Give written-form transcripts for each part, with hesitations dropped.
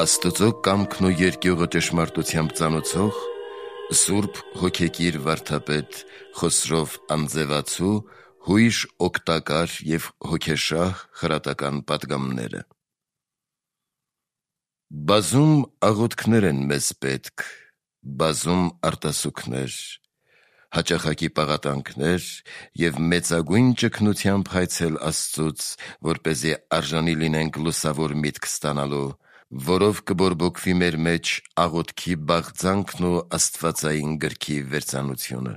Աստծո կամքն ու երկյուղը ճշմարտությամբ ծանուցող Սուրբ հոգեկիր վարդապետ Խոսրով Անձևացու հույժ օգտակար և հոգեշահ խրատական պատգամները։ Բազում աղոթքներ են մեզ պետք, բազում արտասուքներ, հաճախակի պաղատանքներ և մեծագույն ճգնությամբ հայցել Աստծուց, որպեսզի արժանի լինենք լուսավոր միտք ստանալու, որով կբորբոքվի մեր մեջ աղոթքի բաղձանքն ու աստվածային գրքի վերծանությունը։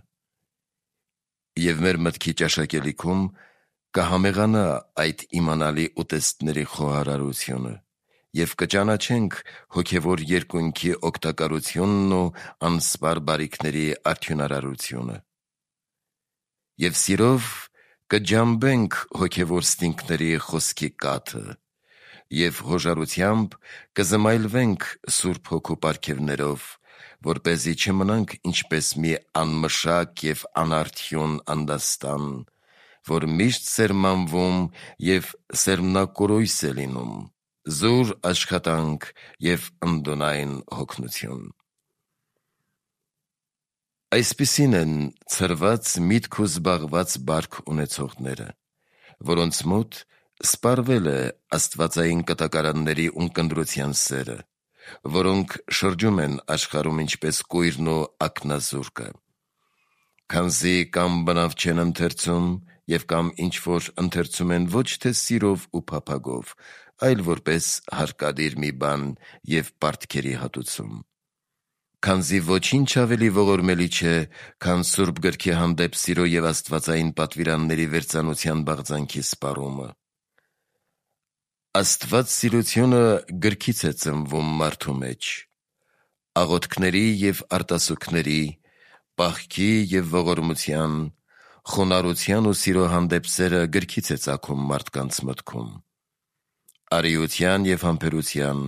Եվ մեր մտքի ճաշակելիքում կհամեղանա այդ իմանալի ուտեստների խոհարարությունը և կճանաչենք հոգևոր երկունքի օգտակարությունն ու անսպար բարիքների արդյունարարությունը։ Եվ սիրով կջամբենք հոգևոր ստինքների խոսքի կաթը և հոժարությամբ կզմայլվենք Սուրբ Հոգու պարգևներով, որպեսզի չմնանք ինչպես մի անմշակ և անարդյուն անդաստան, որ միշտ սերմանվում և սերմնակորույս է լինում, զուր աշխատանք և ընդունայն հոգնություն։ Այսպիսին են ցրված միտք ու զբաղված բարք ունեցողները, որոնց մոտ սպառվել է աստվածային կտակարանների ունկնդրության սերը, որոնք շրջում են աշխարհում ինչպես կույրն ու ակնազուրկը, քանզի կամ բնավ չեն ընթերցում և կամ ինչ-որ ընթերցում են ոչ թե սիրով ու փափագով, այլ որպես հարկադիր մի բան և պարտքերի հատուցում, քանզի ոչինչ ավելի ողորմելի չէ, քան Սուրբ Գրքի հանդեպ սիրո և աստվածային պատվիրանների վերծանության բաղձանքի սպառումը։ Աստվածսիրությունը գրքից է ծնվում մարդու մեջ, աղոթքների և արտասուքների, պահքի և ողորմության, խոնարհության ու սիրո հանդեպ սերը գրքից է ծագում մարդկանց մտքում։ Արիության և համբերության,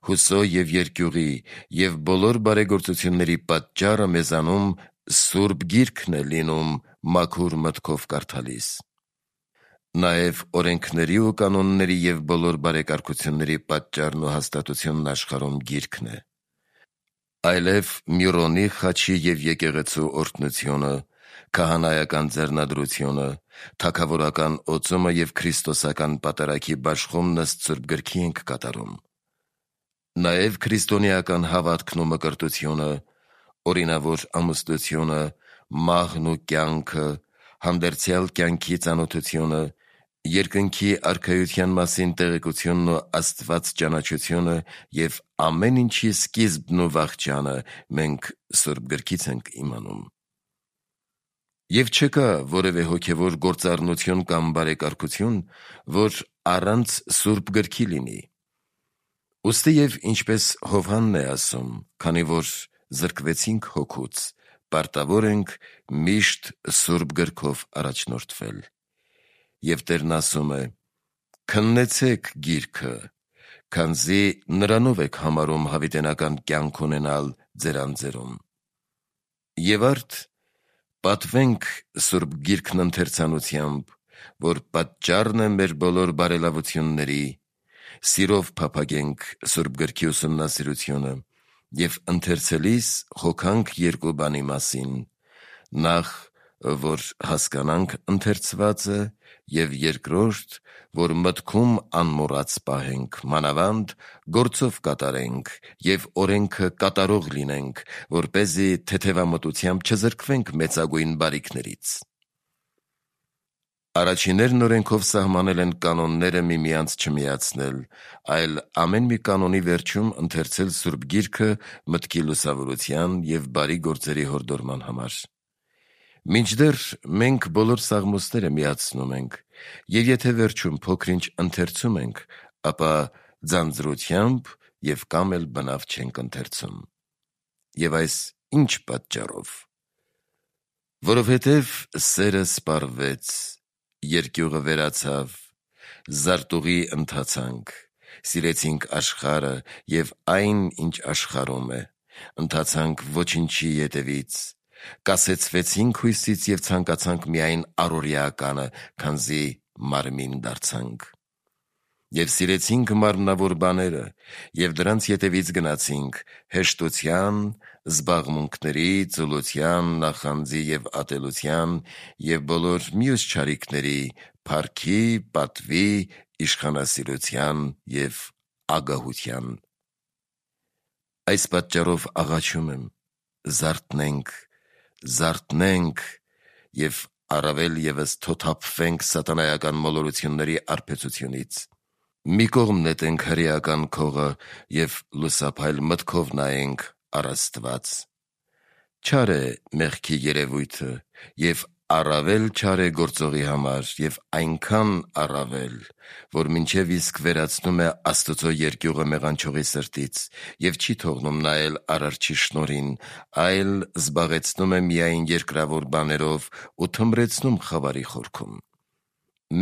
հուսո և երկյուղի և բոլոր բարեգործությունների պատճառը մեզանում Սուրբ Գիրքն է լինում մաքուր մտքով կարդալիս։ Նաև օրենքների ու կանոնների և բոլոր բարեկարգությունների պատճառն ու հաստատությունն աշխարհում Գիրքն է։ Այլև Միրոնի խաչի և եկեղեցու օրհնությունը, քահանայական ձեռնադրությունը, թագավորական օծումը և քրիստոսական պատարագի բաշխումն ըստ Սուրբ Գրքի ենք կատարում։ Նաև քրիստոնեական հավատքն ու մկրտությունը, օրինավոր ամուսնությունը, մահն ու կյանքը, հանդերձյալ կյանքի ծանոթությունը, երկնքի արքայության մասին տեղեկությունն ու Աստված ճանաչությունը և ամեն ինչի սկիզբն ու վախճանը մենք Սուրբ Գրքից ենք իմանում։ Եվ չկա որևէ հոգևոր գործառնություն կամ բարեկարգություն, որ առանց Սուրբ Գրքի լինի։ Ուստի և ինչպես Հովհաննն է ասում, քանի որ զրկվեցինք հոգուց, պարտավոր ենք միշտ Սուրբ Գրքով առաջնորդվել։ Եվ Տերն ասում է. «Քննեցեք Գիրքը, քանզի նրանով եք համարում հավիտենական կյանք ունենալ ձեր անձերում»։ Եվ արդ պատվենք Սուրբ Գիրքն ընթերցանությամբ, որ պատճառն է մեր բոլոր բարելավությունների, սիրով փափագենք Սուրբ Գրքի ուսումնասիրությունը և ընթերցելիս հոգանք երկու բանի մասին. նախ, որ հասկանանք ընթերցվածը, և երկրորդ, որ մտքում անմոռաց պահենք, մանավանդ գործով կատարենք և օրենքը կատարող լինենք, որպեսզի թեթևամտությամբ չզրկվենք մեծագույն բարիքներից։ Առաջիններն օրենքով սահմանել են կանոնները միմյանց չմիացնել, այլ ամեն մի կանոնի վերջում ընթերցել Սուրբ Գիրքը մտքի լուսավորության և բարի գործերի հորդորման համար։ Մինչդեռ մենք բոլոր սաղմոսները միացնում ենք, և եթե վերջում փոքր-ինչ ընթերցում ենք, ապա ձանձրությամբ և կամ էլ բնավ չենք ընթերցում։ Եվ այս ի՞նչ պատճառով։ Որովհետև սերը սպառվեց, երկյուղը վերացավ, զարտուղի ընթացանք, սիրեցինք աշխարհը և այն, ինչ աշխարհում է, ընթացանք ոչնչի ետևից, կասեցվեցինք հույսից և ցանկացանք միայն առօրեականը, քանզի մարմին դարձանք։ Եվ սիրեցինք մարմնավոր բաները, և դրանց ետևից գնացինք հեշտության, զբաղմունքների, ծուլության, նախանձի և ատելության և բոլոր մյուս չարիքների, փառքի, պատվի, իշխանասիրության և ագահության։ Այս պատճառով աղաչում եմ, զարթնենք և առավել ևս թոթափվենք սատանայական մոլորությունների արբեցությունից։ Մի կողմ նետենք հրեական քողը և լուսափայլ մտքով նայենք առ Աստված։ Չար է մեղքի երևույթը և առավել չար է գործողի համար և այնքան առավել, որ մինչև իսկ վերացնում է Աստծո երկյուղը մեղանչողի սրտից և չի թողնում նայել Արարչի շնորհին, այլ զբաղեցնում է միայն երկրավոր բաներով ու թմրեցնում խավարի խորքում։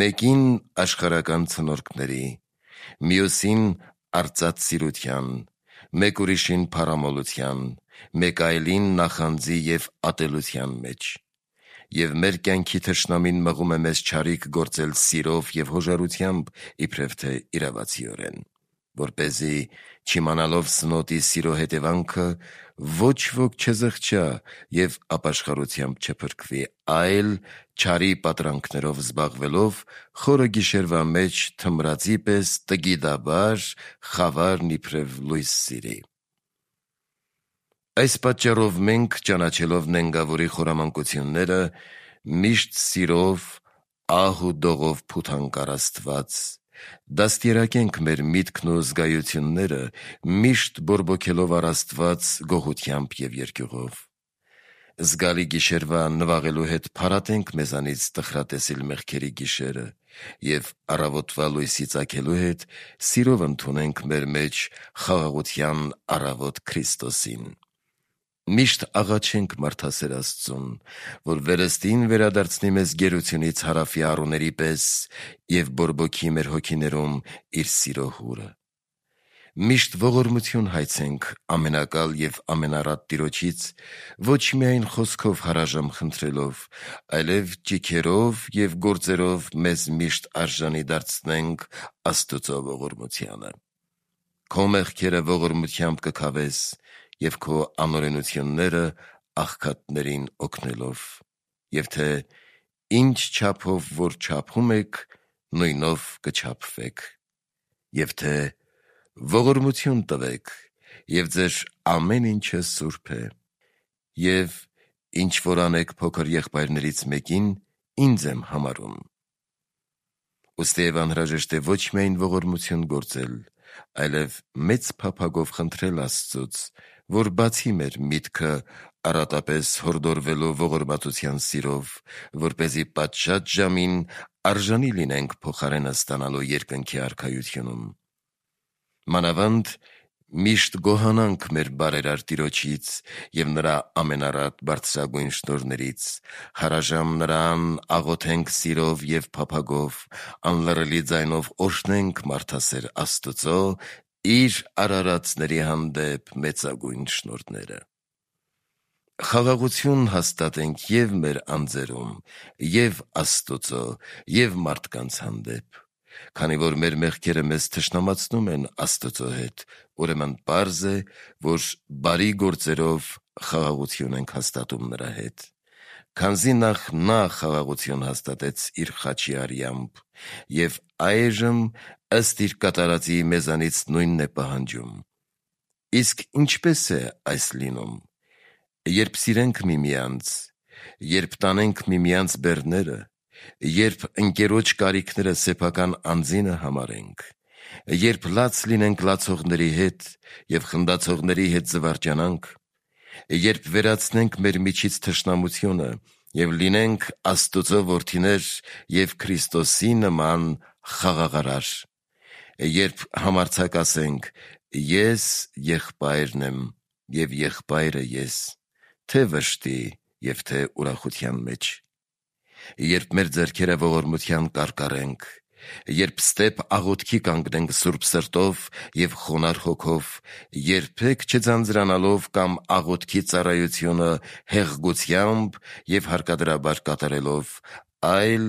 Մեկին աշխարհական ցնորքների, մյուսին արծաթսիրության, մեկ ուրիշին փառամոլության, մեկ այլին նախանձի և ատելության մեջ։ Եվ մեր կյանքի թշնամին մղում է մեզ չարիք գործել սիրով և հոժարությամբ, իբրև թե իրավացիորեն, որպեսզի չիմանալով սնոտի սիրո հետևանքը ոչ ոք չզղջա և ապաշխարությամբ չփրկվի, այլ չարի պատրանքներով զբաղվելով խորը գիշերվա մեջ թմրածի պես տգիտաբար խավարն իբրև լույս սիրի։ Այս պատճառով մենք, ճանաչելով նենգավորի խորամանկությունները, միշտ սիրով, ահ ու դողով փութանք առ Աստված, դաստիարակենք մեր միտքն ու զգայությունները, միշտ բորբոքելով առ Աստված գոհությամբ և երկյուղով։ Զգալի գիշերվա նվաղելու հետ փարատենք մեզանից տխրատեսիլ մեղքերի գիշերը և առավոտվա լույսի ծագելու հետ սիրով ընդունենք մեր մեջ խաղաղության առավոտ Քրիստոսին։ Միշտ աղաչենք մարդասեր Աստծուն, որ վերստին վերադարձնի մեզ գերությունից հարավի առուների պես և բորբոքի մեր հոգիներում իր սիրո հուրը։ Միշտ ողորմություն հայցենք ամենակալ և ամենառատ Տիրոջից, ոչ միայն խոսքով հարաժամ խնդրելով, այլև ճիգերով և գործերով մեզ միշտ արժանի դարձնենք Աստծո ողորմությանը։ Քո մեղքերը ողորմությամբ կքավես և քո անօրենությունները աղքատներին օգնելով, և թե ինչ չափով որ չափում եք, նույնով կչափվեք, և թե ողորմություն տվեք, և ձեր ամեն ինչը սուրբ է, և ինչ որ անեք փոքր եղբայրներից մեկին, ինձ եմ համարում։ Ուստիև անհրաժեշտ է ոչ միայն ողորմություն գործել, այլև մեծ փափագով խնդրել Աստծուց, որ բացի մեր միտքը առատապես հորդորվելու ողորմածության սիրով, որպեսզի պատշաճ ժամին արժանի լինենք փոխարենը ստանալու երկնքի արքայությունում։ Մանավանդ միշտ գոհանանք մեր բարերար Տիրոջից և նրա ամենառատ բարձրագույն շնորհներից, հարաժամ նրան աղոթենք սիրով և փափագով, անլռելի ձայնով օրհնենք մարդասեր Աստծո իր արարածների հանդեպ մեծագույն շնորհները։ Խաղաղություն հաստատենք և մեր անձերում, և Աստծո, և մարդկանց հանդեպ։ Քանի որ մեր մեղքերը մեզ թշնամացնում են Աստծո հետ, ուրեմն պարզ է, որ բարի գործերով խաղաղություն ենք հաստատում նրա հետ, քանզի նախ նա խաղաղություն հաստատեց իր խաչի արյամբ, և այժմ ըստ իր կատարածի մեզանից նույնն է պահանջում։ Իսկ ինչպե՞ս է այս լինում։ Երբ սիրենք միմյանց, երբ տանենք միմյանց բեռները, երբ ընկերոջ կարիքները սեփական անձինը համարենք, երբ լաց լինենք լացողների հետ և խնդացողների հետ զվարճանանք, երբ վերացնենք մեր միջից թշնամությունը և լինենք Աստծո որդիներ և Քրիստոսի նման խաղաղարար, երբ համարձակ ասենք. «Ես եղբայրն եմ, և եղբայրը ես, թե վշտի և թե ուրախության մեջ», երբ մեր ձեռքերը ողորմության կարկառենք, երբ ստեպ աղոթքի կանգնենք սուրբ սրտով և խոնարհ հոգով, երբեք չձանձրանալով կամ աղոթքի ծառայությունը հեղգությամբ և հարկադրաբար կատարելով, այլ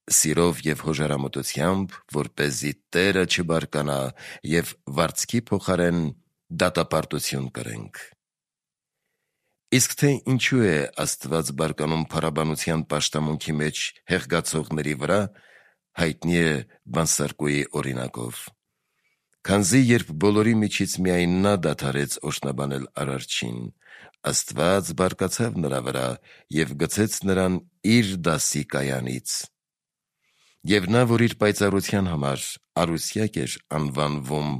սիրով և հոժարամտությամբ, որպեսզի Տերը չբարկանա և վարձքի փոխարեն դատապարտություն կրենք։ Իսկ թե ինչու է Աստված բարկանում փառաբանության պաշտամունքի մեջ հեղգացողների վրա, հայտնի է Բանսարկուի օրինակով։ Քանզի երբ բոլորի միջից միայն նա դադարեց օրհնաբանել Արարչին, Աստված բարկացավ նրա վրա և գցեց նրան իր դասի կայանից։ Եվ նա, որ իր պայծառության համար Արուսյակ էր անվանվում,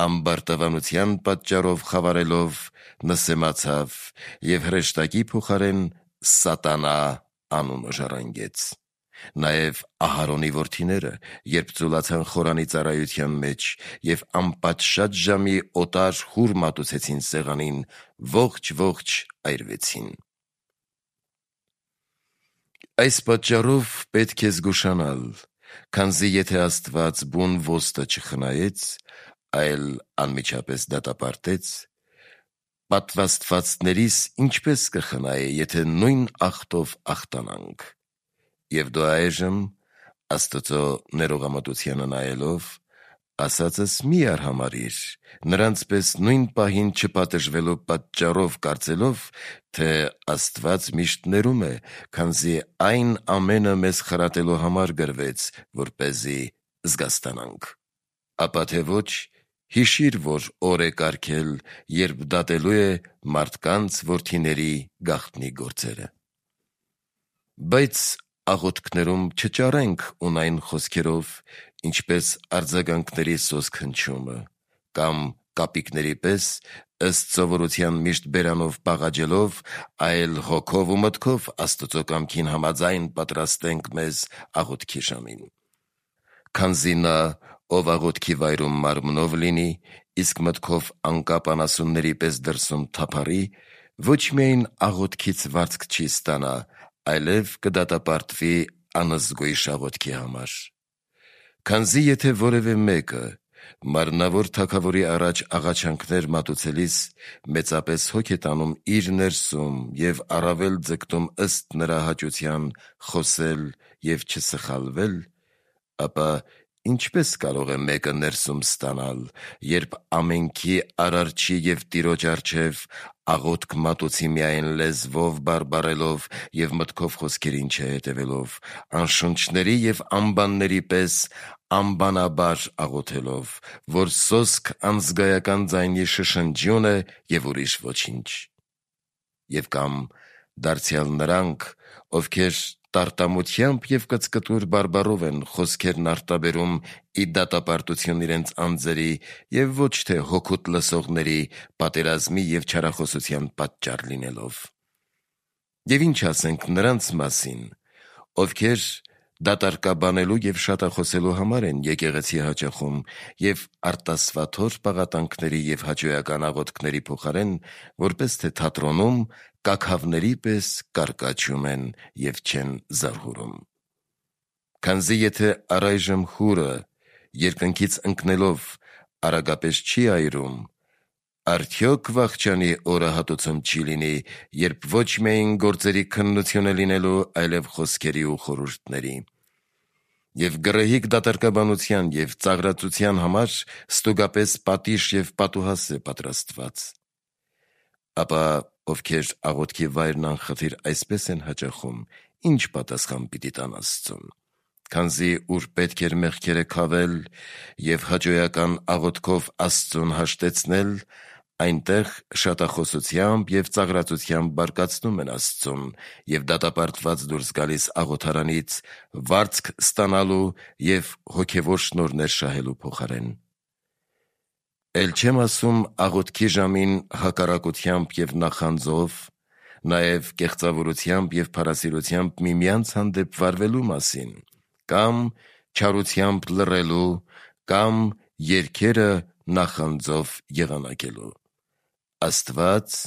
ամբարտավանության պատճառով խավարելով նսեմացավ և հրեշտակի փոխարեն Սատանա անունը ժառանգեց։ Նաև Ահարոնի որդիները, երբ ծուլացան խորանի ծառայության մեջ և անպատշաճ ժամի օտար հուր մատուցեցին սեղանին, ողջ այրվեցին։ Այս պատճառով պետք է զգուշանալ, քանզի եթե Աստված բուն ոստը չխնայեց, այլ անմիջապես դատապարտեց, պատվաստվածներիս ինչպես կխնայե, եթե նույն ախտով ախտանանք։ Եվ դու այժմ, Աստծո ներողամտությանը նայելով, ասածս մի արհամարհիր, նրանց պես նույն պահին չպատժվելու պատճառով կարծելով, թե Աստված միշտ ներում է, քանզի այն ամենը մեզ խրատելու համար գրվեց, որպեսզի զգաստանանք։ Ապա թե ոչ, հիշիր, որ օր է կարգել, երբ դատելու է մարդկանց որդիների գաղտնի գործերը։ Բայց աղոթքներում չճարենք ունայն խոսքերով, ինչպես արձագանքների սոսկ հնչումը, կամ կապիկների պես ըստ սովորության միշտ բերանով պաղաջելով, այլ հոգով ու մտքով Աստծո կամքին համաձայն պատրաստենք մեզ աղոթքի ժամին։ Քանզի նա, ով աղոթքի վայրում մարմնով լինի, իսկ մտքով անկապ անասունների պես դրսում թափառի, ոչ միայն աղոթքից վարձք չի ստանա, այլև կդատապարտվի անզգույշ աղոթքի համար։ Քանզի եթե որևէ մեկը մարմնավոր թագավորի առաջ աղաչանքներ մատուցելիս մեծապես հոգ է տանում իր ներսում և առավել ձգտում ըստ նրա հաճության խոսել և չսխալվել, ապա ինչպես կարող է մեկը ներսում ստանալ, երբ ամենքի Արարչի և Տիրոջ առջև աղոթք մատուցի միայն լեզվով բարբառելով և մտքով խոսքերին չհետևելով, անշունչների և անբանների պես անբանաբար աղոթելով, որ սոսկ անզգայական ձայնի շշնջյուն է և ուրիշ ոչինչ։ Եվ կամ դարձյալ նրանք, ովքեր տարտամությամբ և կծկտուր բարբառով են խոսքերն արտաբերում ի դատապարտություն իրենց անձերի և ոչ թե հոգուտ լսողների պատերազմի և չարախոսության պատճառ լինելով։ Եվ ինչ ասենք նրանց մասին, ովքեր դատարկաբանելու և շատախոսելու համար են եկեղեցի հաճախում և արտասվաթոր պաղատանքների և հաճոյական աղոթքների փոխարեն, որպես թե թատրոնում, կաքավների պես կարկաչում են և չեն զարհուրում։ Քանզի եթե առայժմ հուրը երկնքից ընկնելով արագապես չի այրում, արդյոք վախճանի օրը հատուցում չի լինի, երբ ոչ միայն գործերի քննություն է լինելու, այլև խոսքերի ու խորհուրդների։ Եվ գռեհիկ դատարկաբանության և ծաղրածության համար ստուգապես պատիժ և պատուհաս է պատրաստված։ Ապա ովքեր աղոթքի վայրն անխտիր այսպես են հաճախում, ինչ պատասխան պիտի տան Աստծուն։ Քանզի ուր պետք էր մեղքերը քավել և հաճոյական աղոթքով Աստծուն հաշտեցնել, այնտեղ շատախոսությամբ և ծաղրածությամբ բարկացնում են Աստծուն և դատապարտված դուրս գալիս աղոթարանից վարձք ստանալու և հոգևոր շնորհներ շահելու փոխարեն։ Էլ չեմ ասում աղոթքի ժամին հակառակությամբ և նախանձով, նաև կեղծավորությամբ և փարասիրությամբ միմյանց հանդեպ վարվելու մասին, կամ չարությամբ լռելու, կամ երգերը նախանձով եղանակելու։ Աստված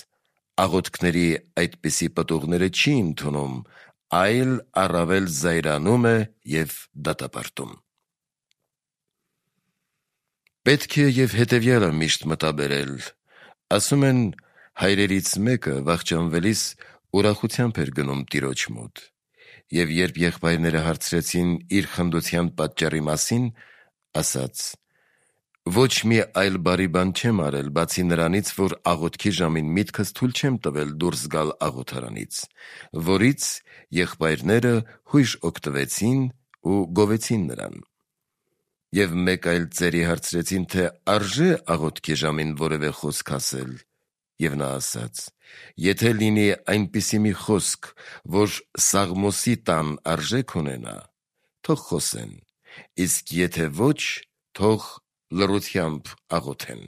աղոթքների այդպիսի պտուղները չի ընդունում, այլ առավել զայրանում է և դատապարտում։ Պետք է և հետևյալը միշտ մտաբերել. ասում են, հայրերից մեկը վախճանվելիս ուրախությամբ էր գնում տիրոջ մոտ, Եվ երբ եղբայրները հարցրեցին իր խնդության պատճառի մասին, ասաց. «Ոչ մի այլ բարի բան չեմ արել, բացի նրանից, որ աղոթքի ժամին միտքս թույլ չեմ տվել դուրս գալ աղոթարանից», որից եղբայրները հույժ օգտվեցին ու գովեցին նրան։ Եվ մեկ այլ ծերի հարցրեցին, թե արժե աղոթքի ժամին որևէ խոսք ասել, եւ նա ասաց. «Եթե լինի այնպիսի մի խոսք, որ Սաղմոսի տան արժեք ունենա, թող խոսեն, իսկ եթե ոչ, թող լռությամբ աղոթեն»։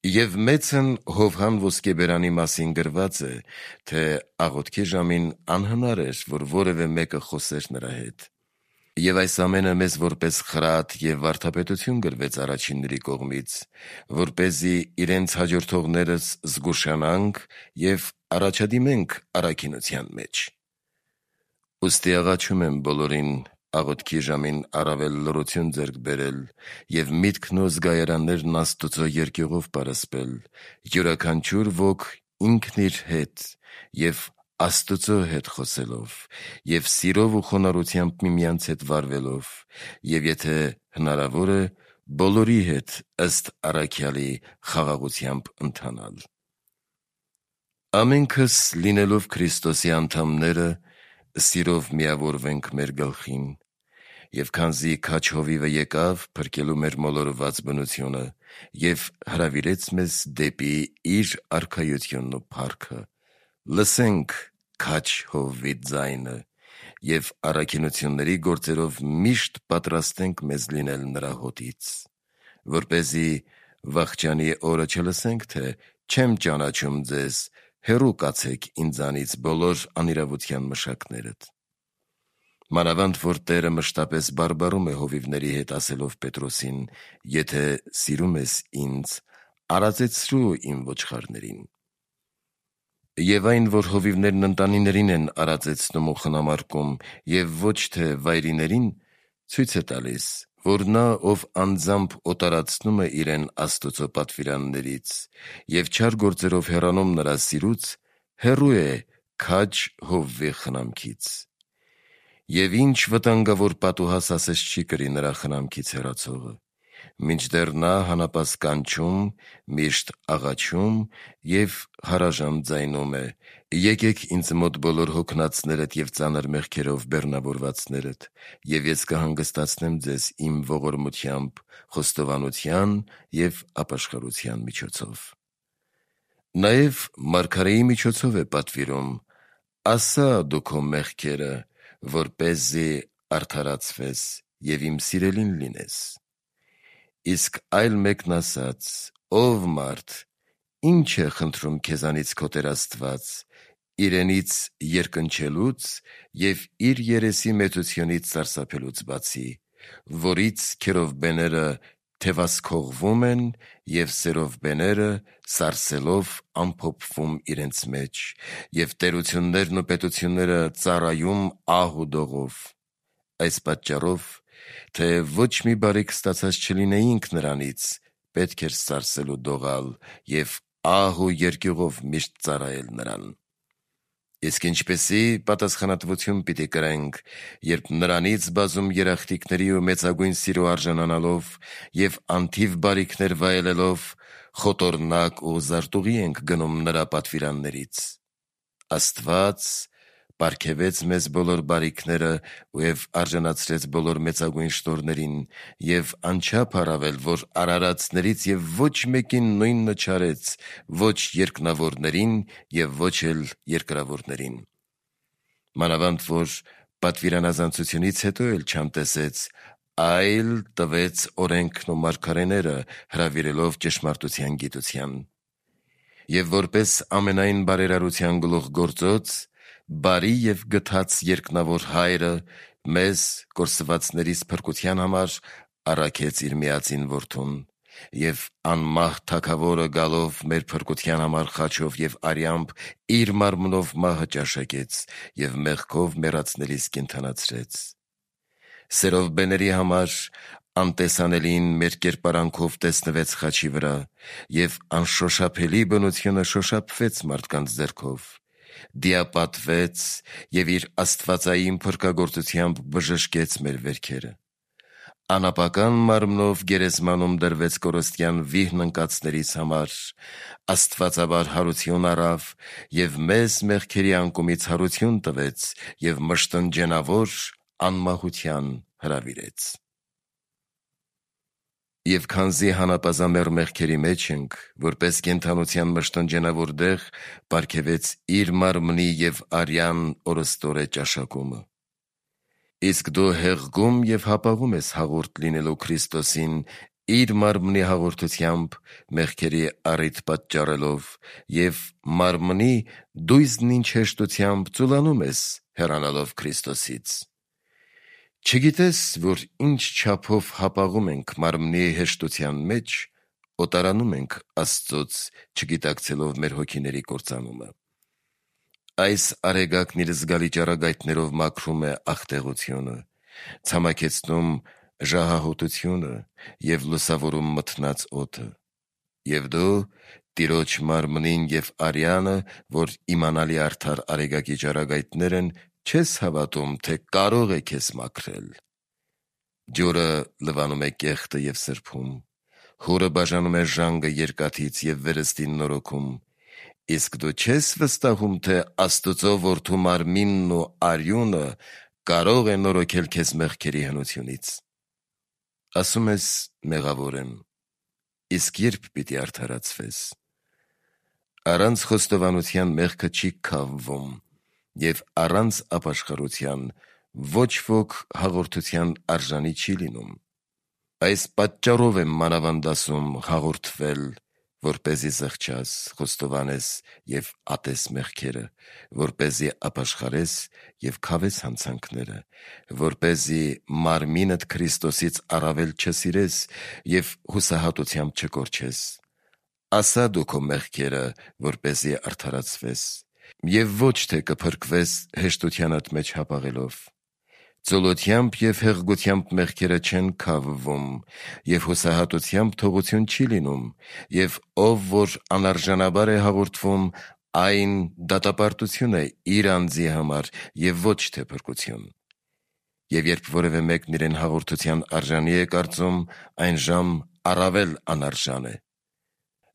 Եվ մեծն Հովհան ոսկեբերանի մասին գրված է, թե աղոթքի ժամին անհնար էր, որ որևէ մեկը խոսեր նրա հետ։ Եվ այս ամենը մեզ որպես խրատ և վարդապետություն գրվեց առաջինների կողմից, որպեսզի իրենց հաջորդողներս զգուշանանք և առաջադիմենք առաքինության մեջ։ Ուստի աղաչում եմ բոլորին աղոթքի ժամին առավել լռություն ձեռք բերել և միտքն ու զգայարաններն Աստուծո երկյուղով պարսպել, յուրաքանչյուր ոք ինքն իր հետ և Աստուծո հետ խոսելով և սիրով ու խոնարհությամբ միմյանց հետ վարվելով և եթե հնարավոր է, բոլորի հետ ըստ առաքյալի խաղաղությամբ ընթանալ։ Ամենքս լինելով Քրիստոսի անդամները, սիրով միավորվենք մեր գլխին, և քանզի քաջ հովիվը եկավ փրկելու մեր մոլորված բնությունը և հրավիրեց մեզ դեպի իր արքայությունն ու փառքը, լսենք քաջ հովվի ձայնը և առաքինությունների գործերով միշտ պատրաստենք մեզ լինել նրա հոտից, որպեսզի վախճանի օրը չլսենք, թե չեմ ճանաչում ձեզ, հեռու կացեք ինձանից բոլոր անիրավության մշակներդ։ Մանավանդ որ Տերը մշտապես բարբառում է հովիվների հետ, ասելով Պետրոսին. «Եթե սիրում ես ինձ, արածեցրու իմ ոչխարներին»։ Եվ այն, որ հովիվներն ընտանիներին են արածեցնում ու խնամարկում և ոչ թե վայրիներին, ցույց է տալիս, որ նա, ով անձամբ օտարացնում է իրեն Աստուծո պատվիրաններից և չար գործերով հեռանում նրա սիրուց, հեռու է քաջ հովվի խնամքից։ Եվ ինչ վտանգավոր պատուհաս ասես չի կրի նրա խնամքից հեռացողը, մինչդեռ նա հանապաս կանչում, միշտ աղաչում և հարաժան ձայնում է. «Եկեք ինձ մոտ բոլոր հոգնածներդ և ծանր մեղքերով բեռնավորվածներդ, և ես կհանգստացնեմ ձեզ իմ ողորմությամբ, խոստովանության և ապաշխարության միջոցով»։ Նաև մարգարեի միջոցով է պատվիրում. «Ասա դու քո մեղքերը, որպեսզի արդարացվես և իմ սիրելին լինես»։ Իսկ այլ մեկն ասաց. «Ով մարդ, ի՞նչ է խնդրում քեզանից քո Տեր Աստված, իրենից երկնչելուց և իր երեսի մեծությունից սարսափելուց բացի, որից քերովբեները թևասքողվում են և սերովբեները սարսելով ամփոփվում իրենց մեջ, և տերություններն ու պետությունները ծառայում ահ ու դողով։ Այս պատճառով, թեև ոչ մի բարիք ստացած չլինեինք նրանից, պետք էր սարսել ու դողալ և ահ ու երկյուղով միշտ ծառայել նրան։ Իսկ ինչպիսի պատասխանատվություն պիտի կրենք, երբ նրանից բազում երախտիկների ու մեծագույն սիրո արժանանալով և անթիվ բարիքներ վայելելով, խոտոռնակ ու զարտուղի ենք գնում նրա պատվիրաններից։ Աստված պարգևեց մեզ բոլոր բարիքները և արժանացրեց բոլոր մեծագույն շնորհներին և անչափ առավել, որ արարածներից և ոչ մեկին նույնը չարեց, ոչ երկնավորներին և ոչ էլ երկրավորներին։ Մանավանդ որ պատվիրանազանցությունից հետո էլ չանտեսեց, այլ տվեց օրենքն ու մարգարեները, հրավիրելով ճշմարտության գիտության։ Եվ որպես ամենայն բարերարության գլուխգործոց, բարի և գթած երկնավոր Հայրը մեզ կորսվածներիս փրկության համար առաքեց իր միածին Որդուն, և անմահ Թագավորը գալով մեր փրկության համար խաչով և արյամբ իր մարմնով մահը ճաշակեց և մեղքով մեռածներիս կենդանացրեց։ Սերովբեների համար անտեսանելին մեր կերպարանքով տեսնվեց խաչի վրա, և անշոշափելի բնությունը շոշափվեց մարդկանց ձեռքով, դիապատվեց և իր աստվածային փրկագործությամբ բժշկեց մեր վերքերը։ Անապական մարմնով գերեզմանում դրվեց կորստյան վիհն ընկածներիս համար, աստվածաբար հարություն առավ և մեզ մեղքերի անկումից հարություն տվեց և մշտնջենավոր անմահության հրավիրեց։ Եվ քանզի հանապազամեռ մեղքերի մեջ ենք, որպես կենդանության մշտնջենավոր դեղ պարգևեց իր մարմնի և արյան օրըստօրե ճաշակումը։ Իսկ դու հեղգում և հապաղում ես հաղորդ լինելու Քրիստոսին իր մարմնի հաղորդությամբ մեղքերի առիթ պատճառելով և մարմնի դույզն ինչ հեշտությամբ ծուլանում ես հեռանալով Քրիստոսից։ Չգիտես, որ ինչ չափով հապաղում ենք մարմնի հեշտության մեջ, օտարանում ենք Աստծոց, չգիտակցելով մեր հոգիների կործանումը։ Այս արեգակն իր զգալի ճառագայթներով մաքրում է աղտեղությունը, ցամաքեցնում ժահահոտությունը և լուսավորում մթնած օդը։ Եվ դու Տիրոջ մարմնին և արյանը, որ իմանալի արդար արեգակի ճառագայթներ են, չես հավատում, թե կարող է քեզ մաքրել։ Ջուրը լվանում է կեղտը և սրբում, հուրը բաժանում է ժանգը երկաթից և վերստին նորոգում, իսկ դու չես վստահում, թե Աստծո որդու մարմինն ու արյունը կարող է նորոգել քեզ մեղքերի հնությունից։ Ասում ես՝ մեղավոր եմ, իսկ ե՞րբ պիտի արդարացվես։ Առանց խոստովանության մեղքը չի քավվում, և առանց ապաշխարության ոչ ոք հաղորդության արժանի չի լինում։ Այս պատճառով եմ մանավանդ ասում հաղորդվել, որպեսզի զղջաս, խոստովանես և ատես մեղքերը, որպեսզի ապաշխարես և քավես հանցանքները, որպեսզի մարմինդ Քրիստոսից առավել չսիրես և հուսահատությամբ չկորչես։ Ասա դու քո մեղքերը, որպեսզի արդարացվես, և ոչ թե կփրկվես հեշտությանդ մեջ հապաղելով։ Ծուլությամբ և հեղգությամբ մեղքերը չեն քավվում, և հուսահատությամբ թողություն չի լինում, և ով որ անարժանաբար է հաղորդվում, այն դատապարտություն է իր անձի համար և ոչ թե փրկություն։ Եվ երբ որևէ մեկն իրեն հաղորդության արժանի է կարծում, այնժամ առավել անարժան է։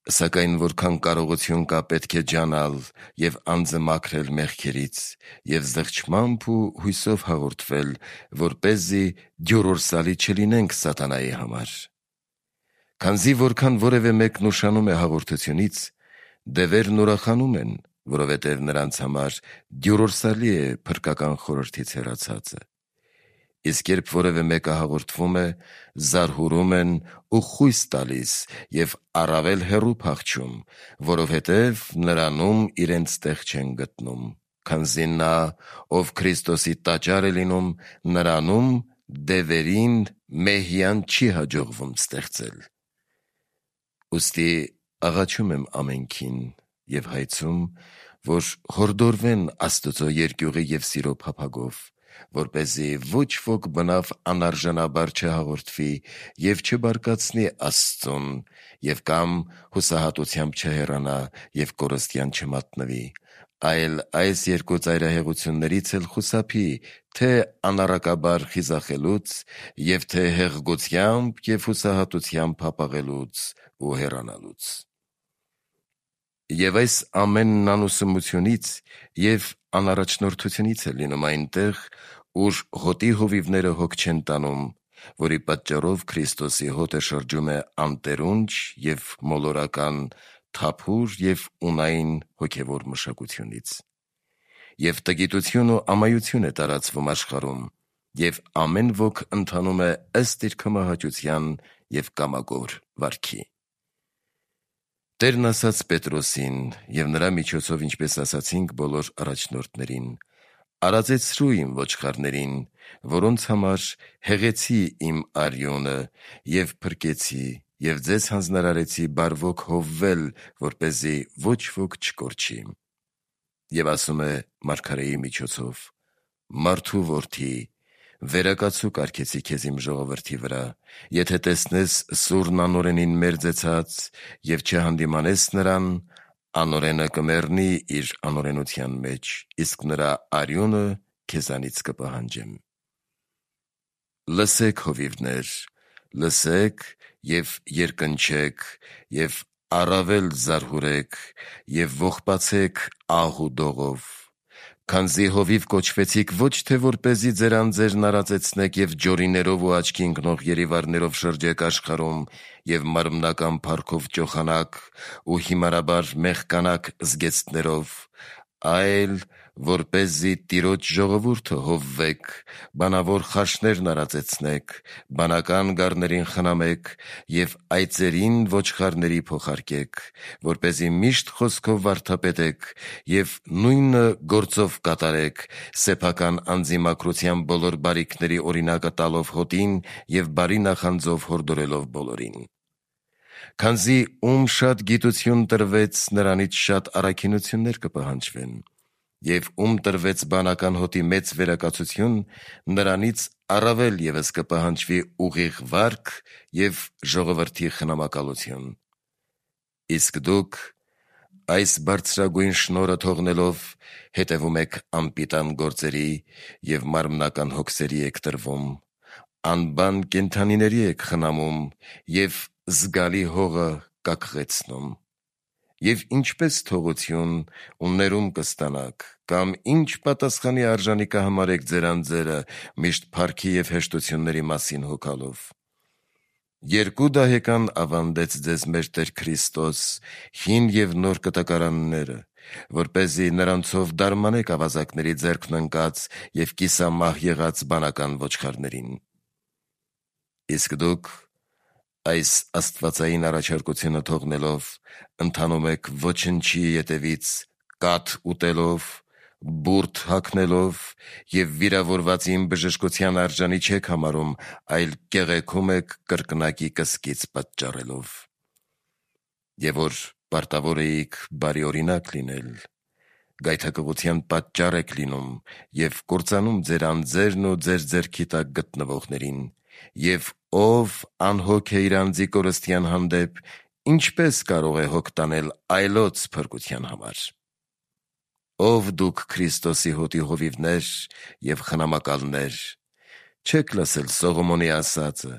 Սակայն որքան կարողություն կա, պետք է ջանալ և անձը մաքրել մեղքերից և զղջմամբ ու հույսով հաղորդվել, որպեսզի դյուրորսալի չլինենք սատանայի համար։ Քանզի որքան որևէ մեկն ուշանում է հաղորդությունից, դևերն ուրախանում են, որովհետև նրանց համար դյուրորսալի է փրկական խորհրդից հեռացածը։ Իսկ երբ որևէ մեկը հաղորդվում է, զարհուրում են ու խույս տալիս և առավել հեռու փախչում, որովհետև նրանում իրենց տեղ չեն գտնում, քանզի նա, ով Քրիստոսի տաճար է լինում, նրանում դևերին մեհյան չի հաջողվում ստեղծել։ Ուստի աղաչում եմ ամենքին և հայցում, որ հորդորվեն Աստծո երկյուղի և սիրո փափագով, որպեսզի ոչ ոք բնավ անարժանաբար չհաղորդվի և չբարկացնի Աստծուն և կամ հուսահատությամբ չհեռանա և կորստյան չմատնվի, այլ այս երկու ծայրահեղություններից էլ խուսափի, թե անառակաբար խիզախելուց և թե հեղգությամբ և հուսահատությամբ հապաղելուց ու հեռանալուց։ Եվ այս ամենն անուսումությունից և անառաջնորդությունից է լինում այնտեղ, ուր հոտի հովիվները հոգ չեն տանում, որի պատճառով Քրիստոսի հոտը շրջում է անտերունջ և մոլորական, թափուր և ունայն հոգևոր մշակությունից։ Եվ տգիտություն ու ամայություն է տարածվում աշխարհում, և ամեն ոք ընթանում է ըստ իր քմահաճության և կամագոր վարքի։ Տերն ասաց Պետրոսին և նրա միջոցով, ինչպես ասացինք բոլոր առաջնորդներին. «Արածեցրու իմ ոչխարներին, որոնց համար հեղեցի իմ արյունը և փրկեցի և ձեզ հանձնարարեցի բարվոք հովվել, որպեսզի ոչ ոք չկորչի»։ Եվ ասում է մարգարեի միջոցով. «Մարդու որդի, վերակացու կարգեցի քեզ իմ ժողովրդի վրա, եթե տեսնես սուրն անօրենին մերձեցած և չհանդիմանես նրան, անորենը կմեռնի իր անորենության մեջ, իսկ նրա արյունը քեզանից կպահանջեմ։ Լսեք, հովիվներ, լսեք և երկնչեք, և առավել զարհուրեք, և ողբացեք ահ ու դողով, քանզի հովիվ կոչվեցիք ոչ թե որպեսզի ձեր անձերն արածեցնեք և ջորիներով ու աչքի ընկնող երիվառներով շրջեք աշխարհում և մարմնական փառքով ճոխանաք ու հիմարաբար մեղկանաք զգեստներով, այլ որպեսզի Տիրոջ ժողովուրդը հովվեք, բանավոր խարշներն արածեցնեք, բանական գառներին խնամեք և այծերին ոչխարների փոխարկեք, որպեսզի միշտ խոսքով վարդապետեք և նույնը գործով կատարեք, սեփական անձի մաքրության բոլոր բարիքների օրինակը տալով հոտին և բարի նախանձով հորդորելով բոլորին։ Քանզի ում շատ գիտություն տրվեց, նրանից շատ առաքինություններ կպահանջվեն, և ում տրվեց բանական հոտի մեծ վերակացություն, նրանից առավել ևս կպահանջվի ուղիղ վարք և ժողովրդի խնամակալություն։ Իսկ դուք այս բարձրագույն շնորհը թողնելով հետևում եք անպիտան գործերի և մարմնական հոգսերի եք տրվում, անբան կենդանիների եք խնամում և զգալի հողը կակղեցնում։ Եվ ինչպես թողություն ու ներում կստանաք, կամ ինչ պատասխանի արժանի կհամարեք ձեր անձերը միշտ փառքի և հեշտությունների մասին հոգալով։ Երկու դահեկան ավանդեց ձեզ մեր Տեր Քրիստոս, հին և նոր կտակարանները, որպեսզի նրանցով դարմանեք ավազակների ձեռքն ընկած և կիսամահ եղած բանական ոչխարներին։ Իսկ դուք այս աստվածային առաջարկությունը թողնելով ընթանում եք ոչնչի ետևից կաթ ուտելով, բուրդ հագնելով և վիրավորվածին բժշկության արժանի չեք համարում, այլ կեղեքում եք կրկնակի կսկիծ պատճառելով։ Եվ որ պարտավոր էիք բարի օրինակ լինել, գայթակղության պատճառ եք լինում և կործանում ձեր անձերն ու ձեր ձեռքի տակ գտնվողներին, և ով անհոգ է իր անձի կորստյան հանդեպ, ինչպե՞ս կարող է հոգ տանել այլոց փրկության համար։ Ով դուք Քրիստոսի հոտի հովիվներ և խնամակալներ, չե՞ք լսել Սողոմոնի ասածը.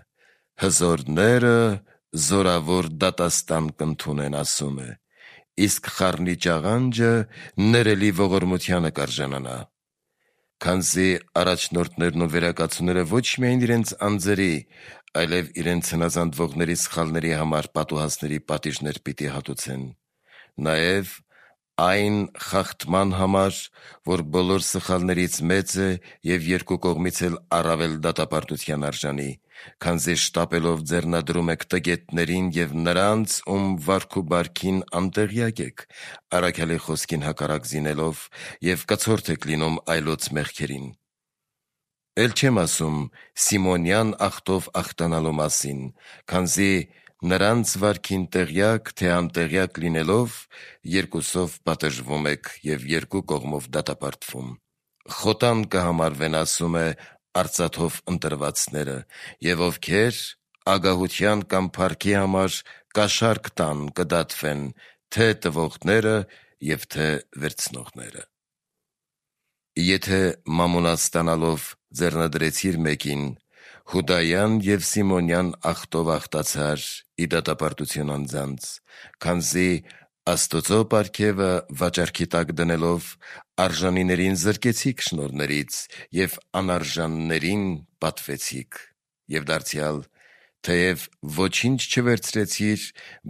«Հզորները զորավոր դատաստան կընդունեն», ասում է, իսկ խառնի ճաղանջը ներելի ողորմությանը կարժանանա։ Քանզի առաջնորդներն ու վերակացուները ոչ միայն իրենց անձերի, այլև իրենց հնազանդվողների սխալների համար պատուհասների պատիժներ պիտի հատուցեն, նաև այն խախտման համար, որ բոլոր սխալներից մեծ է և երկու կողմից էլ առավել դատապարտության արժանի, քանզի շտապելով ձեռնադրում եք տգետներին և նրանց, ում վարք ու բարքին անտեղյակ եք, առաքյալի խոսքին հակառակ զինելով և կցորդ եք լինում այլոց մեղքերին։ Էլ չեմ ասում Սիմոնյան աղտով աղտանալու մասին, քանզի նրանց վարքին տեղյակ թե անտեղյակ լինելով երկուսով պատժվում եք և երկու կողմով դատապարտվում։ Խոտան կհամարվեն, ասում է, արծաթով ընտրվածները, և ովքեր ագահության կամ փառքի համար կաշառք տան, կդատվեն, թե տվողները և թե վերցնողները։ Եթե մամոնա ստանալով ձեռնադրեցիր մեկին, Հուդայան և Սիմոնյան աղտով աղտացար ի դատապարտություն անձանց, քանզի Աստուծո պարգևը վաճառքի տակ դնելով արժանիներին զրկեցիք շնորհներից և անարժաններին պատվեցիք, և դարձյալ, թեև ոչինչ չվերցրեցիր,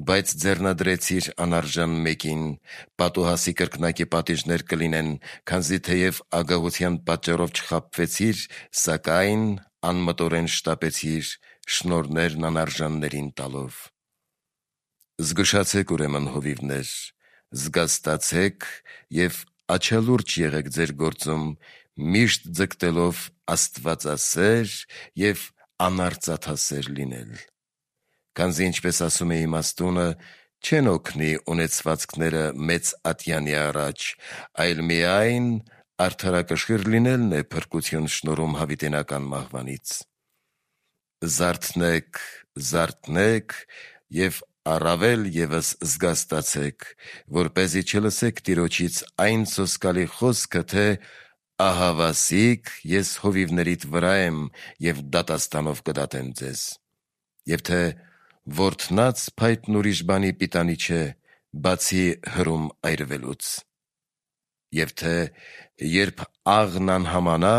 բայց ձեռնադրեցիր անարժան մեկին, պատուհասի կրկնակի պատիժներ կլինեն, քանզի թեև ագահության պատճառով չխաբվեցիր, սակայն անմտորեն շտապեցիր շնորհներն անարժաններին տալով։ Զգուշացեք ուրեմն, հովիվներ, զգաստացեք և աչալուրջ եղեք ձեր գործում, միշտ ձգտելով աստվածասեր և անարծաթասեր լինել։ Քանզի ինչպես ասում է իմաստունը, չեն օգնի ունեցվածքները մեծ ատյանի առաջ, այլ միայն արդարակշիռ լինելն է փրկություն շնորհում հավիտենական մահվանից։ Զարթնեք, զարթնեք և առավել ևս զգաստացեք, որպեսզի չլսեք Տիրոջից այն սոսկալի խոսքը, թե ահավասիկ ես հովիվներիդ վրա եմ և դատաստանով կդատեմ ձեզ, և թե որդնած փայտն ուրիշ բանի պիտանի չէ, բացի հրում այրվելուց, և թե երբ աղն անհամանա,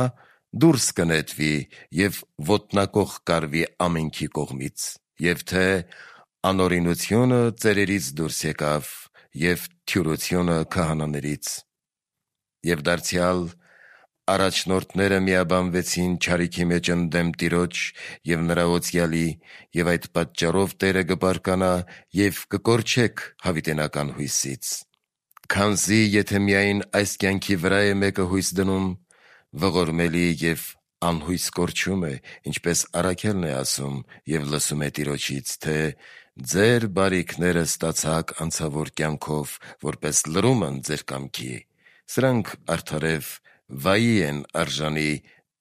դուրս կնետվի և ոտնակոխ կարվի ամենքի կողմից, և թե անօրինությունը ծերերից դուրս եկավ և թյուրությունը քահանաներից, և դարձյալ առաջնորդները միաբանվեցին չարիքի մեջ ընդդեմ Տիրոջ և նրա օծյալի, և այդ պատճառով Տերը կբարկանա և կկորչեք հավիտենական հույսից, քանզի եթե միայն այս կյանքի վրա է մեկը հույս դնում, ողորմելի և անհույս կորչում է, ինչպես առաքյալն է ասում և լսում է Տիրոջից, թե ձեր բարիքները ստացաք անցավոր կյանքով, որպես լրումն ձեր կամքի, սրանք արդարև վայի են արժանի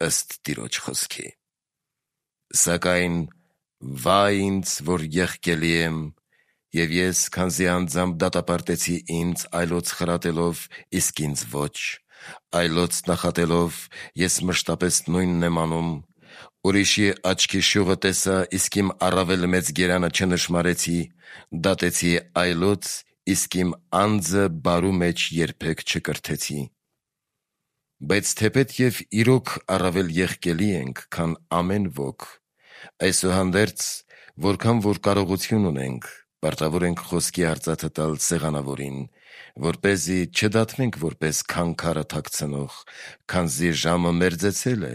ըստ Տիրոջ խոսքի։ Սակայն վայ ինձ, որ եղկելի եմ, և ես, քանզի անձամբ դատապարտեցի ինձ այլոց խրատելով, իսկ ինձ ոչ, այլոց նախատելով, ես մշտապես նույնն եմ անում, ուրիշի աչքի շյուղը տեսա, իսկ իմ առավել մեծ գերանը չնշմարեցի, դատեցի այլոց, իսկ իմ անձը բարու մեջ երբեք չկրթեցի։ Բայց թեպետ և իրոք առավել եղկելի ենք, քան ամեն ոք, այսուհանդերձ, որքան որ կարողություն ունենք, պարտավոր ենք խոսքի արծաթը տալ սեղանավորին, որպեսզի չդատվենք որպես քանքարը թաքցնող, քանզի ժամը մերձեցել է,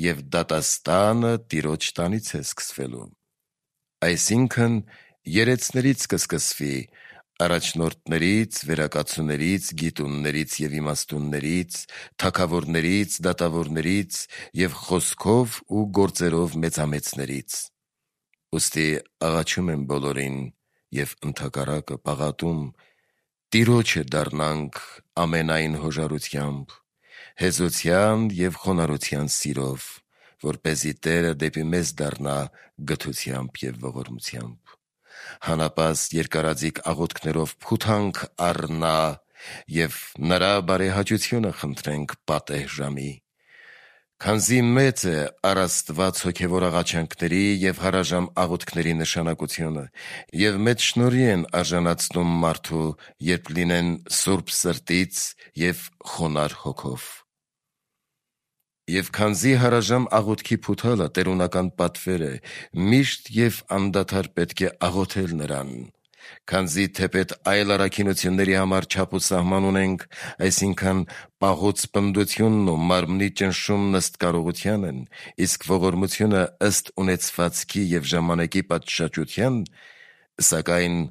և դատաստանը Տիրոջ տանից է սկսվելու։ Այսինքն երեցներից կսկսվի, առաջնորդներից, վերակացուներից, գիտուններից և իմաստուններից, թագավորներից, դատավորներից և խոսքով ու գործերով մեծամեծներից։ Ուստի աղաչում եմ բոլորին և ընդհակառակը պաղատում, Տիրոջը դառնանք ամենայն հոժարությամբ, հեզության և խոնարհության սիրով, որպեսզի Տերը դեպի մեզ դառնա գթությամբ և ողորմությամբ։ Հանապաստ երկարաձիգ աղոթքներով փութանք առնա և նրա բարեհաճությունը խնդրենք պատեհ ժամի, քանզի մեծ է առ Աստված հոգևոր աղաչանքների և հարաժամ աղոթքների նշանակությունը, և մեծ շնորհի են արժանացնում մարդու, երբ լինեն սուրբ սրտից և խոնարհ հոգով։ Եվ քանզի հարաժամ աղոթքի փութալը տերունական պատվեր է, միշտ և անդադար պետք է աղոթել նրան, քանզի թեպետ այլ առաքինությունների համար չափ ու սահման ունենք, այսինքն պահոց պնդությունն ու մարմնի ճնշումն ըստ կարողության են, իսկ ողորմությունը ըստ ունեցվածքի և ժամանակի պատշաճության, սակայն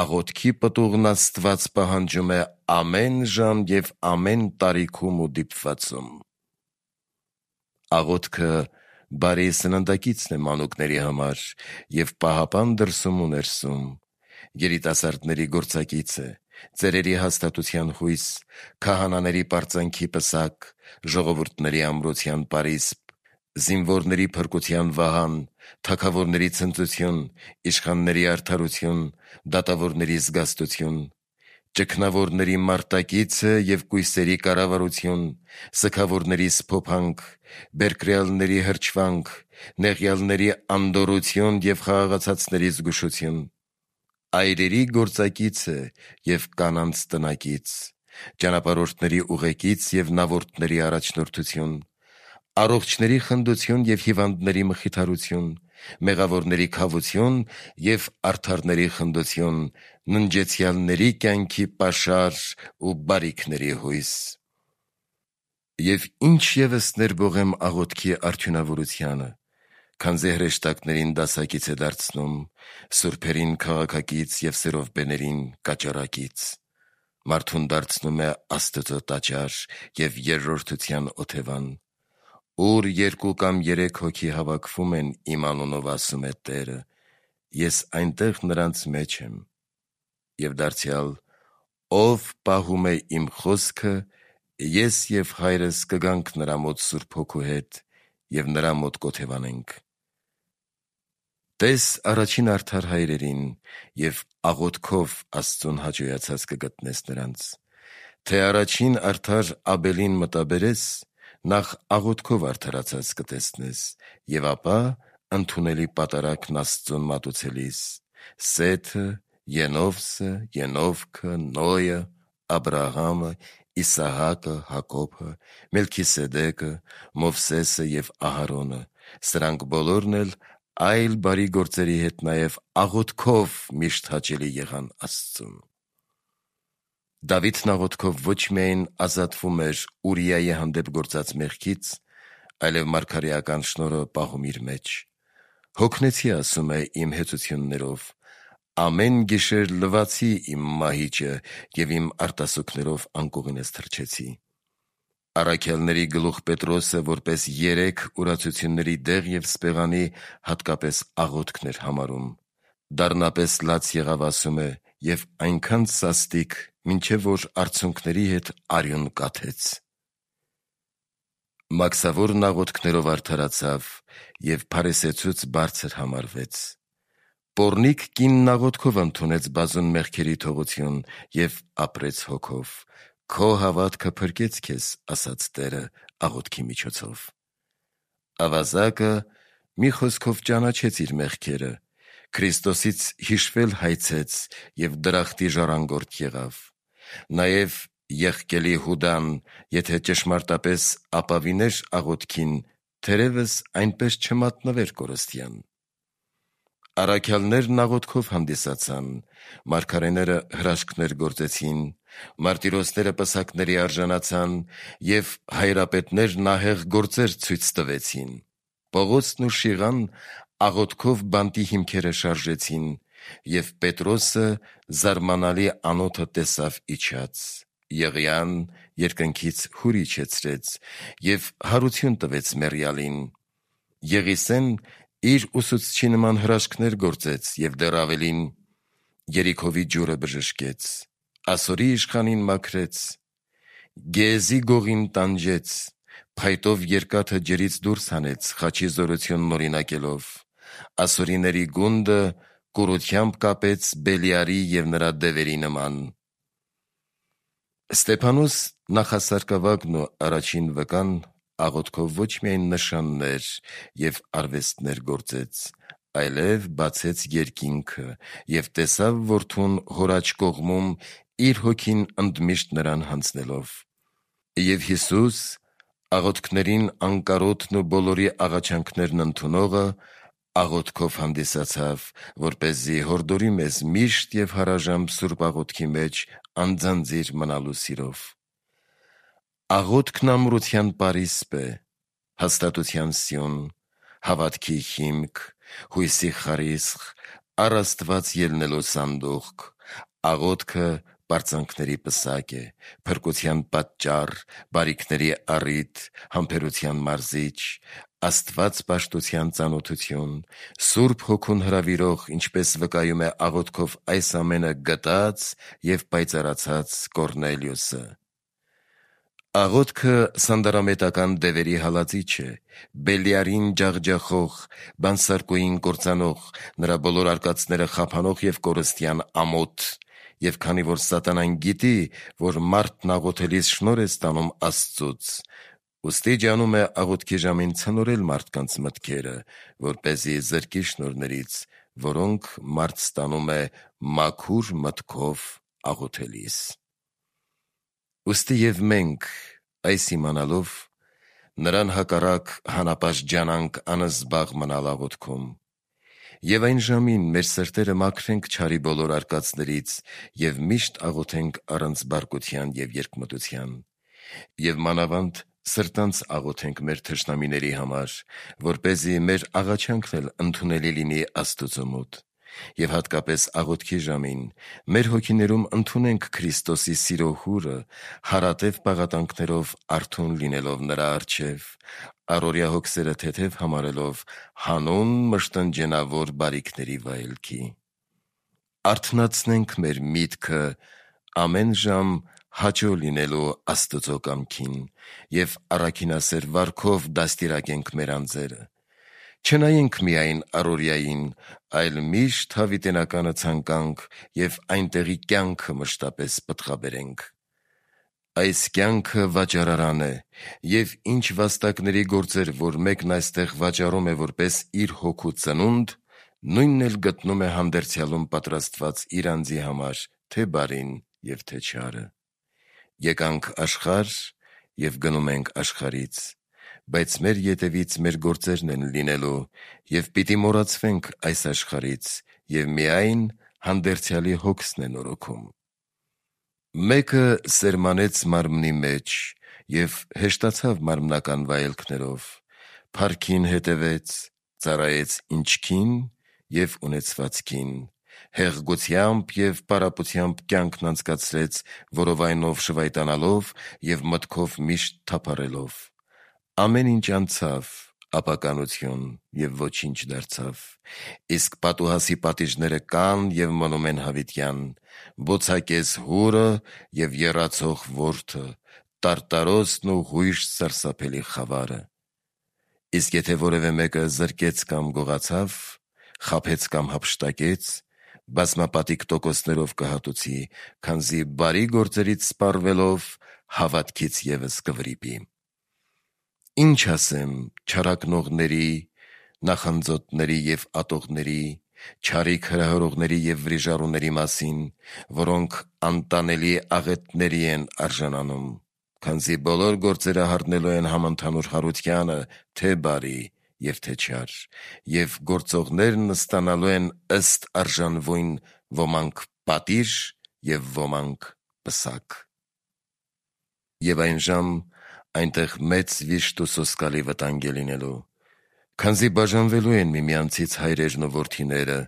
աղոթքի պտուղն Աստված պահանջում է ամեն ժամ և ամեն տարիքում ու դիպվածում։ Աղոթքը բարի սննդակիցն է մանուկների համար և պահապան դրսում ու ներսում, երիտասարդների գործակից է, ծերերի հաստատության հույս, քահանաների պարծանքի պսակ, ժողովուրդների ամրության պարիսպ, զինվորների փրկության վահան, թագավորների ցնծություն, իշխանների արդարություն, դատավորների զգաստություն, ճգնավորների մարտակիցը և կույսերի կառավարություն, սգավորների սփոփանք, բերկրյալների հրճվանք, նեղյալների անդորրություն և խաղաղացածների զգուշություն, այրերի գործակիցը և կանանց տնակից, ճանապարհորդների ուղեկից և նավորդների առաջնորդություն, առողջների խնդություն և հիվանդների մխիթարություն, մեղավորների քավություն և արդարների խնդություն, ննջեցյալների կյանքի պաշար ու բարիքների հույս։ Եվ ինչ ևս ներբողեմ աղոթքի արդյունավորությանը, քանզի հրեշտակներին դասակից է դարձնում, սուրբերին քաղաքակից և սերովբեներին կաճառակից, մարդուն դարձնում է Աստծո տաճար և երրորդության օթևան, ուր 2 կամ 3 հոգի հավաքվում են իմ անունով, ասում է Տերը, ես այնտեղ նրանց մեջ եմ։ Եվ դարձյալ, ով պահում է իմ խոսքը, ես և Հայրս կգանք նրա մոտ Սուրբ Հոգու հետ և նրա մոտ կօթևանենք։ Տես առաջին արդար հայրերին և աղոթքով Աստծուն հաճոյացած կգտնես նրանց, թե առաջին արդար Աբելին մտաբերես, նախ աղոթքով արդարացած կտեսնես, և ապա ընդունելի պատարագն Աստծուն մատուցելիս, Սեթը, Ենովսը, Ենովքը, Նոյը, Աբրահամը, Իսահակը, Հակոբը, Մելքիսեդեկը, Մովսեսը և Ահարոնը, սրանք բոլորն էլ այլ բարի գործերի հետ նաև աղոթքով միշտ հաճելի եղան Աստծուն։ Դավիթն աղոթքով ոչ միայն ազատվում էր Ուրիայի հանդեպ գործած մեղքից, այլև մարգարեական շնորհը պահում իր մեջ։ Հոգնեցի, ասում է, իմ հեծություններով, ամեն գիշեր լվացի իմ մահիճը և իմ արտասուքներով անկողինս թռչեցի։ Առաքյալների գլուխ Պետրոսը որպես 3 ուրացությունների դեղ և սպեղանի հատկապես աղոթքն էր համարում։ Դառնապես լաց եղավ, ասում է, և այնքան սաստիկ, մինչև որ արցունքների հետ արյուն կաթեց։ Մաքսավորն աղոթքներով արդարացավ և փարիսեցուց բարձր համարվեց։ Պոռնիկ կինն աղոթքով ընդունեց բազում մեղքերի թողություն և ապրեց հոգով։ Քո հավատքը փրկեց քեզ, ասաց Տերը աղոթքի միջոցով։ Ավազակը մի խոսքով ճանաչեց իր մեղքերը, Քրիստոսից հիշվել հայցեց և դրախտի ժառանգորդ եղավ։ Նաև եղկելի Հուդան, եթե ճշմարտապես ապավիներ աղոթքին, թերևս այնպես չմատնվեր կորստյան։ Առաքյալներն աղոթքով հանդիսացան, մարգարեները հրաշքներ գործեցին, մարտիրոսները պսակների արժանացան և հայրապետներն ահեղ գործեր ցույց տվեցին։ Պողոսն ու Շիղան աղոթքով բանտի հիմքերը շարժեցին, և Պետրոսը զարմանալի անոթը տեսավ իջած։ Եղիան երկնքից հուր իջեցրեց և հարություն տվեց մեռյալին։ Եղիսեն իր ուսուցչի նման հրաշքներ գործեց և դեռ ավելին, Երիքովի ջուրը բժշկեց, Ասորի իշխանին մաքրեց, Գեզի գողին տանջեց, փայտով երկաթը ջրից դուրս հանեց, խաչի զորությունն օրինակելով, ասորիների գունդը կուրությամբ կապեց Բելիարի և նրա դևերի նման։ Ստեփանոս նախասարկավագն ու առաջին վկան աղոթքով ոչ միայն նշաններ և արվեստներ գործեց, այլև բացեց երկինքը և տեսավ որդուն հոր աջ կողմում իր հոգին ընդմիշտ նրան հանձնելով։ Եվ Հիսուս, աղոթքներին անկարոտն ու բոլորի աղաչանքներն ընդունողը, աղոթքով հանդիսացավ, որպեսզի հորդորի մեզ միշտ և հարաժամ սուրբ աղոթքի մեջ անձանձիր մնալու սիրով։ Աղոթքն ամրության պարիսպ է, հաստատության սյուն, հավատքի հիմք, հույսի խարիսխ, առ Աստված ելնելու սանդուղք։ Աղոթքը պարծանքների պսակ է, փրկության պատճառ, բարիքների առիթ, համբերության մարզիչ, Աստված պաշտության ծանոթություն, Սուրբ Հոգուն հրավիրող, ինչպես վկայում է աղոթքով այս ամենը գտած և պայծառացած Կոռնելիոսը։ Աղոթքը սանդարամետական դևերի հալածիչ է, Բելիարին ջախջախող, բանսարկուին կործանող, նրա բոլոր արկածները խափանող և կորստյան ամոթ։ Եվ քանի որ սատանան գիտի, որ մարդն աղոթելիս շնորհ է ստանում Աստծուց, ուստի ջանում է աղոթքի ժամին ցնորել մարդկանց մտքերը, որպեսզի զրկի շնորհներից, որոնք մարդ ստանում է մաքուր մտքով աղոթելիս։ Ուստի և մենք, այս իմանալով, նրան հակառակ հանապաշտջանանք անզբաղ մնալ աղոթքում, և այն ժամին մեր սրտերը մաքրենք չարի բոլոր արկածներից և միշտ աղոթենք առանց բարկության և երկմտության, և մանավանդ սրտանց աղոթենք մեր թշնամիների համար, որպեսզի մեր աղաչանքն էլ ընդունելի լինի Աստուծո մոտ, և հատկապես աղոթքի ժամին մեր հոգիներում ընդունենք Քրիստոսի սիրո հուրը, հարատև պաղատանքներով արթուն լինելով նրա առջև, առօրյա հոգսերը թեթև համարելով հանուն մշտնջենավոր բարիքների վայելքի։ Արթնացնենք մեր միտքը ամեն ժամ հաճո լինելու Աստծո կամքին և առաքինասեր վարքով դաստիարակենք մեր անձերը, Չնայենք միայն առօրյային, այլ միշտ հավիտենականը ցանկանք և այնտեղի կյանքը մշտապես պտղաբերենք։ Այս կյանքը վաճառարան է, և ինչ վաստակների գործեր, որ մեկն այստեղ վաճառում է որպես իր հոգու ծնունդ, նույնն էլ գտնում է հանդերձյալում պատրաստված իր անձի համար, թե բարին և թե չարը։ Եկանք աշխարհ և գնում ենք աշխարհից, բայց մեր ետևից մեր գործերն են լինելու, և պիտի մոռացվենք այս աշխարհից, և միայն հանդերձյալի հոգսն է նորոգում։ Մեկը սերմանեց մարմնի մեջ և հեշտացավ մարմնական վայելքներով, փառքին հետևեց, ծառայեց ինչքին և ունեցվածքին, հեղգությամբ և պարապությամբ կյանքն անցկացրեց, որովայնով շվայտանալով և մտքով միշտ թափառելով։ Ամեն ինչ անցավ, ապականություն, և ոչինչ դարձավ։ Իսկ պատուհասի պատիժները կան և մնում են հավիտյան, բոցակես հուրը և եռացող որդը, տարտարոսն ու հույժ սարսափելի խավարը։ Իսկ եթե որևէ մեկը զրկեց կամ գողացավ, խաբեց կամ հափշտակեց, բազմապատիկ տոկոսներով կհատուցի, քանզի բարի գործերից սպառվելով հավատքից ևս կվրիպի։ Ինչ ասեմ չարակնողների, նախանձոտների և ատողների, չարիք հրահրողների և վրիժառուների մասին, որոնք անտանելի աղետների են արժանանում, քանզի բոլոր գործերը հառնելու են համընդհանուր հարությանը, թե բարի և թե չար, և գործողներն ստանալու են ըստ արժանվույն, ոմանք պատիժ և ոմանք պսակ։ Եվ այն ժամ այնտեղ մեծ վիշտ ու սոսկալի վտանգ է լինելու, քանզի բաժանվելու են միմյանցից հայրերն ու որդիները,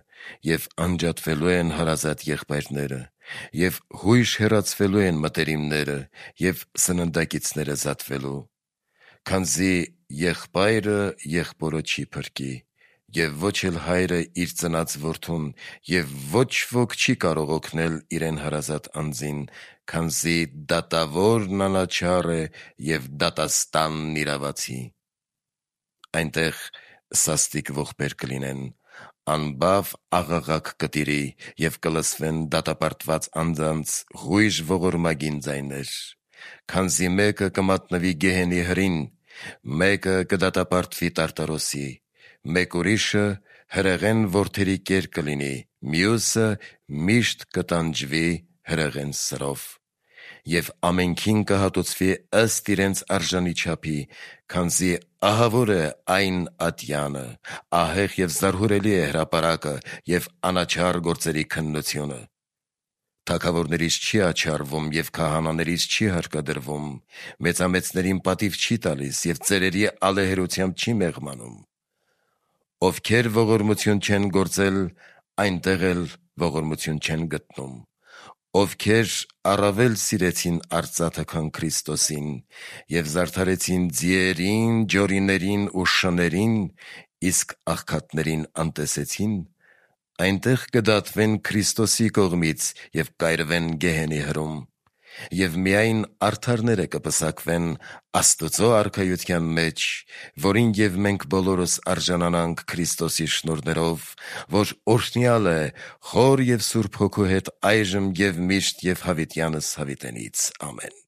և անջատվելու են հարազատ եղբայրները, և հույժ հեռացվելու են մտերիմները, և սննդակիցները զատվելու, քանզի եղբայրը եղբորը չի փրկի, և ոչ էլ հայրը իր ծնած որդուն, և ոչ ոք չի կարող օգնել իրեն հարազատ անձին, քանզի դատավորն անաչառ է և դատաստանն իրավացի։ Այնտեղ սաստիկ ողբեր կլինեն, անբավ աղաղակ կտիրի, և կլսվեն դատապարտված անձանց հույժ ողորմագին ձայներ, քանզի մեկը կմատնվի գեհենի հրին, մեկը կդատապարտվի տարտարոսի, մեկ ուրիշը հրեղեն որդերի կեր կլինի, մյուսը միշտ կտանջվի հրեղեն սրով։ Եվ ամենքին կհատուցվի ըստ իրենց արժանի չափի, քանզի ահավոր է այն ատյանը, ահեղ և զարհուրելի է հրապարակը և անաչառ գործերի քննությունը։ Թագավորներից չի աչառվում և քահանաներից չի հարկադրվում, մեծամեծներին պատիվ չի տալիս և ծերերի ալեհերությամբ չի մեղմանում։ Ովքեր ողորմություն չեն գործել, այնտեղ էլ ողորմություն չեն գտնում։ Ովքեր առավել սիրեցին արծաթը, քան Քրիստոսին, և զարդարեցին ձիերին, ջորիներին ու շներին, իսկ աղքատներին անտեսեցին, այնտեղ կդատվեն Քրիստոսի կողմից և կայրվեն գեհենի հրում։ Եվ միայն արդարները կպսակվեն Աստծո արքայության մեջ, որին և մենք բոլորս արժանանանք Քրիստոսի շնորհներով, որ օրհնյալ է Հոր և Սուրբ Հոգու հետ այժմ և միշտ և հավիտյանս հավիտենից։ Ամեն։